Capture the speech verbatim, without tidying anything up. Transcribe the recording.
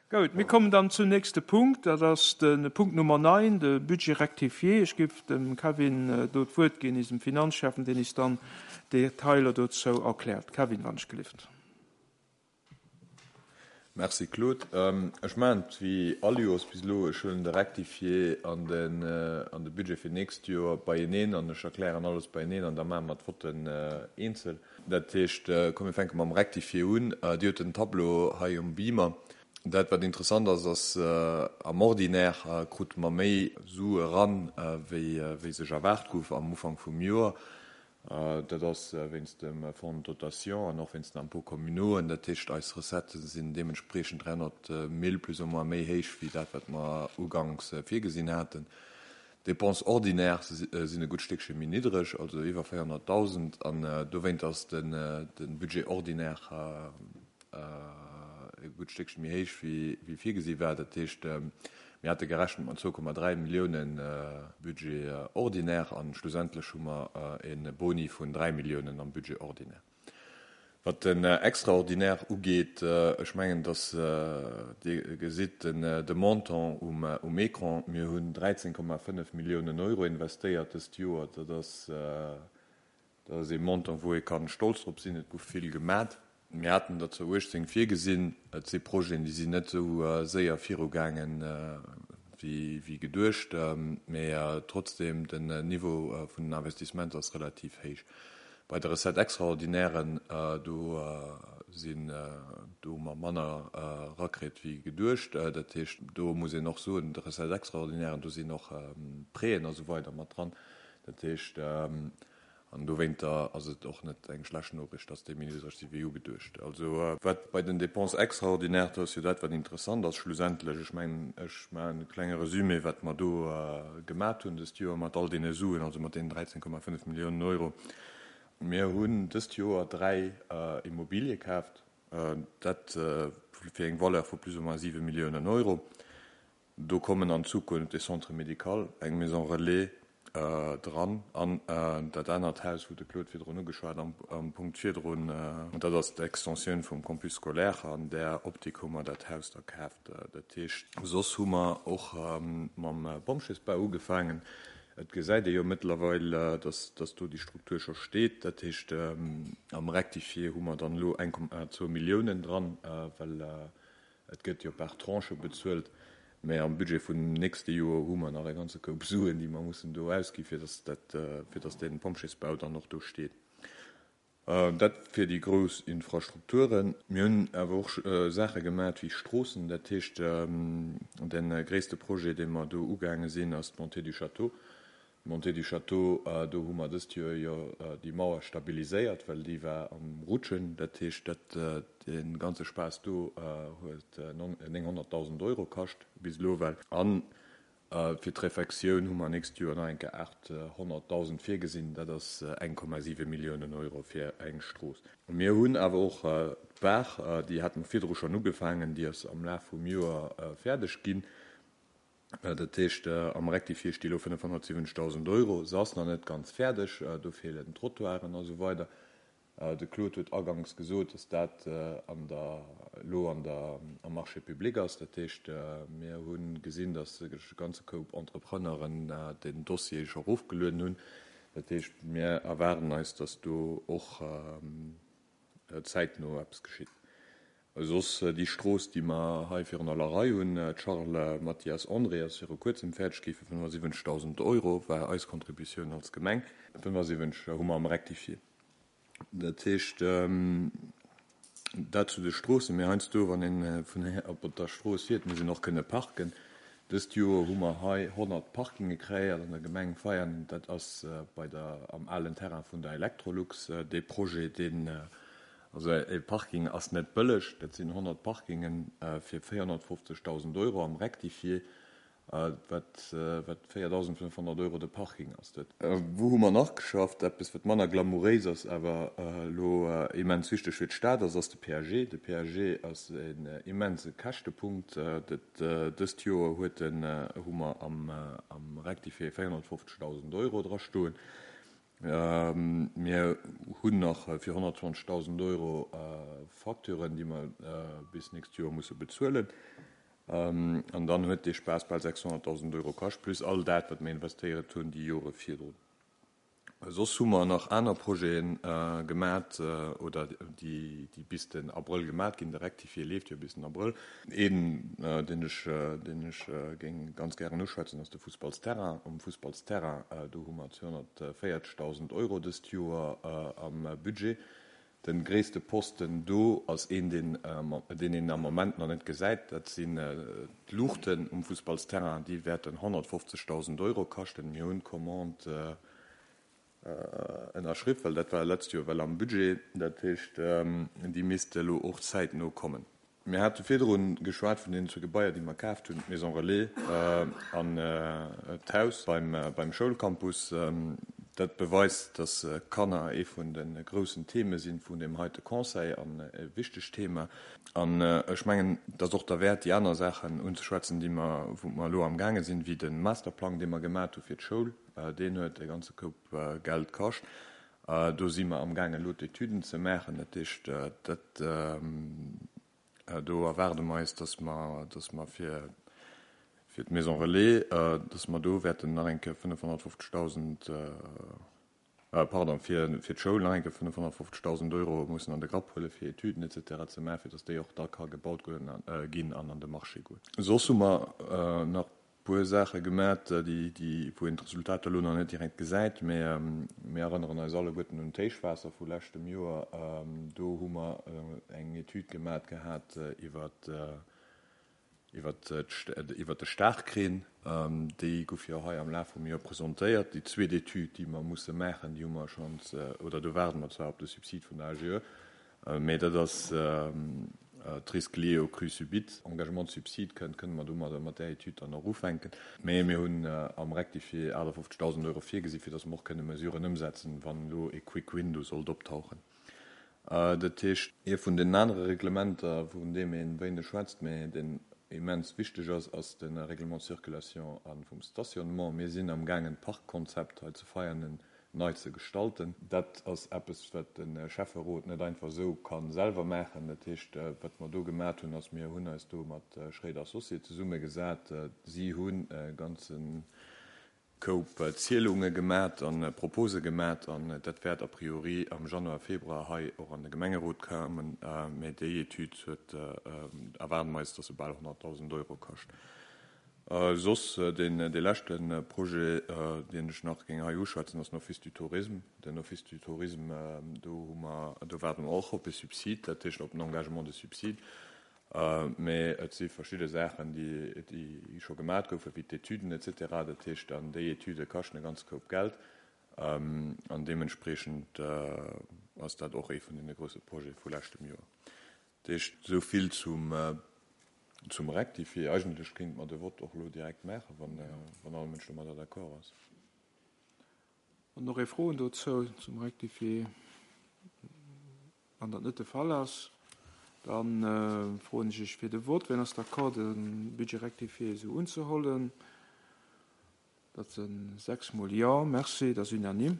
Goud, mir kommen dann zum nächste Punkt, dat ass de Punkt Nummer neun, de Budget rectifié. Ech géif dem Kevin do d'Wuert ginn, eisem Finanzschäffen, deen eis dann Detailer dozou erkläert. Kevin, wann ech gelift. Merci Claude. Ech maachen et wéi all Joers bis elo, ech huelen de Rectifié an den an de Budget fir d'nächst Joer beieneen an ech erklären alles beieneen an da maache mer d'Votten eenzel. Dat heescht, komm mir fänke mam Rectifié un. Dir hutt den Tableau hei um Beamer. Dat wat interessant ass, ass am Ordinaire krute mer méi Sue eran, wéi wéi sech erwaart gouf am Ufank vum Joer. Dat ass wéinst dem Fonds de dotation an och wéinst den Impôts communaux. Dat heescht, eis Recettë sinn deementspriechend dräihonnert Mille plus ou moins méi héich wéi dat, wat mer uganks virgesinn haten. D'Dépenses ordinaires sinn e gutt Stéckche méi niddreg, also iwwer véierhonnertdausend. An dowéint ass de Budget ordinaire e gutt Stéckche méi héich wéi virgesi war. Dat heescht, mir hate gerechent mat zwou Komma dräi Milliounen Budget ordinaire an schlussendlech hu mer e Boni vun dräi Milliounen am Budget ordinaire. Wat den Extraordinaire ugeet, ech mengen, dass Dir gesitt de Montant um Écran. Mir hunn dräizéng Komma fënnef Milliounen Euro investéiert dëst Joer. Dat ass Dat ass ee Montant, wou ee ka stolz drop sinn. Et gouf vill gemat. Mir haten der zwar uechtzéng virgesinn. Et si Projeten, déi sinn net esou séier virugaangen, wéi geduecht. Mä trotzdeem, den Niveau vun den Investissementer ass relativ héich. Bei de Recettes extraordinairen, do sinn, do hu mer manner erakritt wéi geduecht. Dat heescht, do muss een och soen, de Recettes extraordinairen, do sinn och Prêten a sou weider mat dran. Dat heescht, an dowéinter ass et och net eng schlecht Noriicht, dass déi méi niddreg si wéi ugeduecht. Also wat bei den Dépenses extraordinaires, dat ass jo dat, wat interessant ass schlussendlech. Ech mengen, ech maachen e klenge Resumé, wat mer do gemat hunn dëst Joer mat all deene Suen, also mat deenen dräizéng Komma fënnef Milliounen Euro. Mir hunn dëst Joer dräi Immobilie kaaft, dat fir eng Valeur vu plus ou moins siwe Milliounen Euro. Do kommen an Zukunft e Centre médical, eng Maison relais dran an dat anert Haus, wou de Claude virdrun ugeschwat am Punkt virdrun, dat ass d'Extensioun vum Campus scolaire. An där Optik hu mer dat Haus da kaaft. Dat heescht, soss hu mer och mam Pompjeesbau ugefaangen. Et gesäit ee jo mëttlerweil, dass dass do déi Struktur scho steet. Dat heescht, am Rectifié hu mer dann elo eng Komma zwou Milliounen dran, well et gëtt jo par Tranche bezuelt. Mä am Budget vun nächste Joer hu mer nach e ganze Koup Suen, déi mer mussen do ausgi fir dass dat, fir dass dee Pompjeesbau dann och do steet. Dat fir déi grouss Infrastrukturen. Mir hunn awer och Saache gemat wéi Stroossen. Dat heescht, de gréisste Projet, dee mer do ugaange sinn, ass d'Montée du Château. D'Montée du Château, do hu mer dëst Joer jo déi Mauer stabiliséiert, well déi war am Rutschen. Dat heescht, dat, dee ganze Spaass do huet nénghonnertdausend Euro kascht bis elo well. A fir d'Refektioun hu mer nächst Joer nach eng Kéier aathonnertdausend virgesinn. Dat ass eng Komma siwe Milliounen Euro fir eng Strooss. Mir hunn awer och d'Baach, déi hate mer virdru schonn ugefaangen, déi ass am Laf vum Joer fäerdeg ginn. Dat heescht, am Rectifié sti elo fënnefhonnertsiwwenzegdausend Euro. Se ass nach net ganz fäerdeg, do feelen d'Trottoiren a sou weider. De Claude huet aganks gesot, dass dat an der, elo an der, am Marché public ass. Dat heescht, mir hu gesinn, dass e ganze Koup Entrepreneuren den Dossier scho erofgelueden hunn. Dat heescht, mir erwaarden eis, dass do och zäitno eppes geschitt. Soss déi Strooss, déi mer hei virun aller Rei hunn, d'Charles Mathias André ass viru kuerzem fäerdeg gi fir fënnefasiwwenzegdausend Euro, war eis Contributioun als Gemeng. fënnefasiwwenzeg hu mer am Rectifié. Dat heescht, dat zu de Stroossen. Mee heiansdo, wann ee vun op der Strooss fiert, muss een och kënne parken. Dëst Joer hu mer hei honnert Parkinge kreéiert an der Gemeng Veianen. Dat ass bei der, am alen Terrain vun der Electrolux. Dee Projet, deen, also e Parking ass net bëlleg, dat sinn honnert Parkinge fir véierhonnertfofzegdausend Euro am Rectifié, wat wat véierdausendfënnfhonnert Euro de Parking ass. Dat. Wou hu mer nach geschafft? Eppes, wat manner glamouréis ass, awer elo immens wichteg fir d'Stad ass, ass de P A G. De P A G ass en immense Käschtepunkt. Dat dëst Joer huet en, hu mer am am Rectifié véierhonnertfofzegdausend Euro dra stoen. Mir hunn nach fir honnertzwanzegdausend Euro Facturen, déi mer bis nächst Joer musse bezuelen. An dann huet dee Spaass bal sechshonnertdausend Euro kascht, plus all dat, wat mir investéiert hunn déi Jore virdrun. Soss hu mer nach aner Projete gemat oder déi bis den Abrëll gemat ginn. De Rectifié leeft jo bis den Abrëll. Een, deen ech, deen ech géing ganz gären uschwätzen, ass de Fussballsterrain. Um Fussballsterrain, do hu mer zweehonnertvéierzegdausend Euro dëst Joer am Budget. De gréisste Posten do ass een, deen deen een am Moment nach net gesäit. Dat sinn d'Luuchten um Fussballsterrain. Déi wäerten honnertfofzegdausend Euro kaschten. Mir hunn d'Commande ënnerschriww, well dat war letzt Joer well am Budget. Dat heescht, déi misste elo och zäitno kommen. Mir hate virdru geschwat vun deenen zwee Gebaier, déi mer kaaft hunn, d'Maison Relais an d'Haus beim Schoulcampus. Dat beweist, dass Kanner ee vun de groussen Theme sinn vun deem heite Conseil an e wichtegt Thema. An ech mengen, et ass och derwäert, déi aner Saachen unzeschwätzen, déi mer, wou mer elo amgaange sinn, wéi de Masterplang, dee mer gemat hu fir d'Schoul. Deen huet e ganze Koup Geld kascht. Do si mer amgaangen, elo d'Etüden ze maachen. Dat heescht, dat, do erwaarde mer eis, dass mer, dass mer fir, fir d'Maison Relais, dass mer do wäerten nach eng Kéier fënnefhonnertfofzegdausend, pardon, fir, fir d'Schoul nach eng Kéier fënnefhonnertfofzegdausend Euro mussen an de Grapp huelen, fir Etüden et cetera ze maachen, fir dass déi och da ka gebaut ginn an an de Marché goen. Soss hu mer nach e puer Saache gemat, déi, déi, wou een d'Resultater elo nach net direkt gesäit, mä mir erënneren eis alleguerten un d'Héichwaasser vu leschtem Joer. Do hu mer eng Etüd gemat gehat iwwert, iwwert iwwert de Staarkreen. Déi gouf jo hei am Laf vum Joer presentéiert. Déi zweet Etüd, déi mer musse maachen, déi hu mer schonns, oder do waarde mer zwar op de Subsid vun der A G E, mä dat ass d'Risques liés aux crues subites. Engagement de subside kënnt, kënne mer domadder mat där Etüd dann och ufänken. Mä mir hunn am Rectifié achtafofzegdausend Euro virgesi fir datt mer och kënne Mesuren ëmsetzen, wann elo e Quick Win do sollt optauchen. Dat heescht, ee vun den anere Reglementer, vun deem ee wéineg schwätzt, mä deen immens wichteg ass, ass de Règlement de circulation a vum Stationnement. Mir sinn amgaangen, d'Parkkonzept hei zu Veianen nei ze gestalten. Dat ass eppes, wat de Schäfferot net einfach esou ka selwer maachen. Dat heescht, wat mer do gemat hunn, ass, mir hunn eis do mat Schréider Associés zesummegesat. Si hunn e ganze Koup Zielunge gemat a Propose gemat, an dat wäert a priori am Januar, Februar hei och an de Gemengerot kommen. Mä déi Etüd huet, erwaarde mer eis, dass se bal honnertdausend Euro kascht. Soss deen dee leschte Projet, deen ech nach géing hei uschwätzen, ass den Office du Tourisme. Den Office du Tourisme, do hu mer, do waarde mer och op e Subsid, dat heescht op en Engagement de subside. Mä et si verschidde Saachen, déi déi scho gemat goufen, wéi d'Etüden et cetera. Dat heescht, an déi Etüde kaschten e ganze Koup Geld. An deementspreechend ass dat och ee vun deene grousse Projete vu leschtem Joer. Dat heescht, esou vill zum zum Rectifié. Eigentlech kéinte mer de Vott och elo direkt maachen, wann wann all Mënsch domadder d'accord ass. An och ee Froen dozou zum Rectifié? Wann dat net de Fall ass, dann froen ech Iech fir de Vott. Wien ass d'accord, de Budget rectifié esou unzehollen? Dat si sechs mol Jo. Merci, dat ass unanime.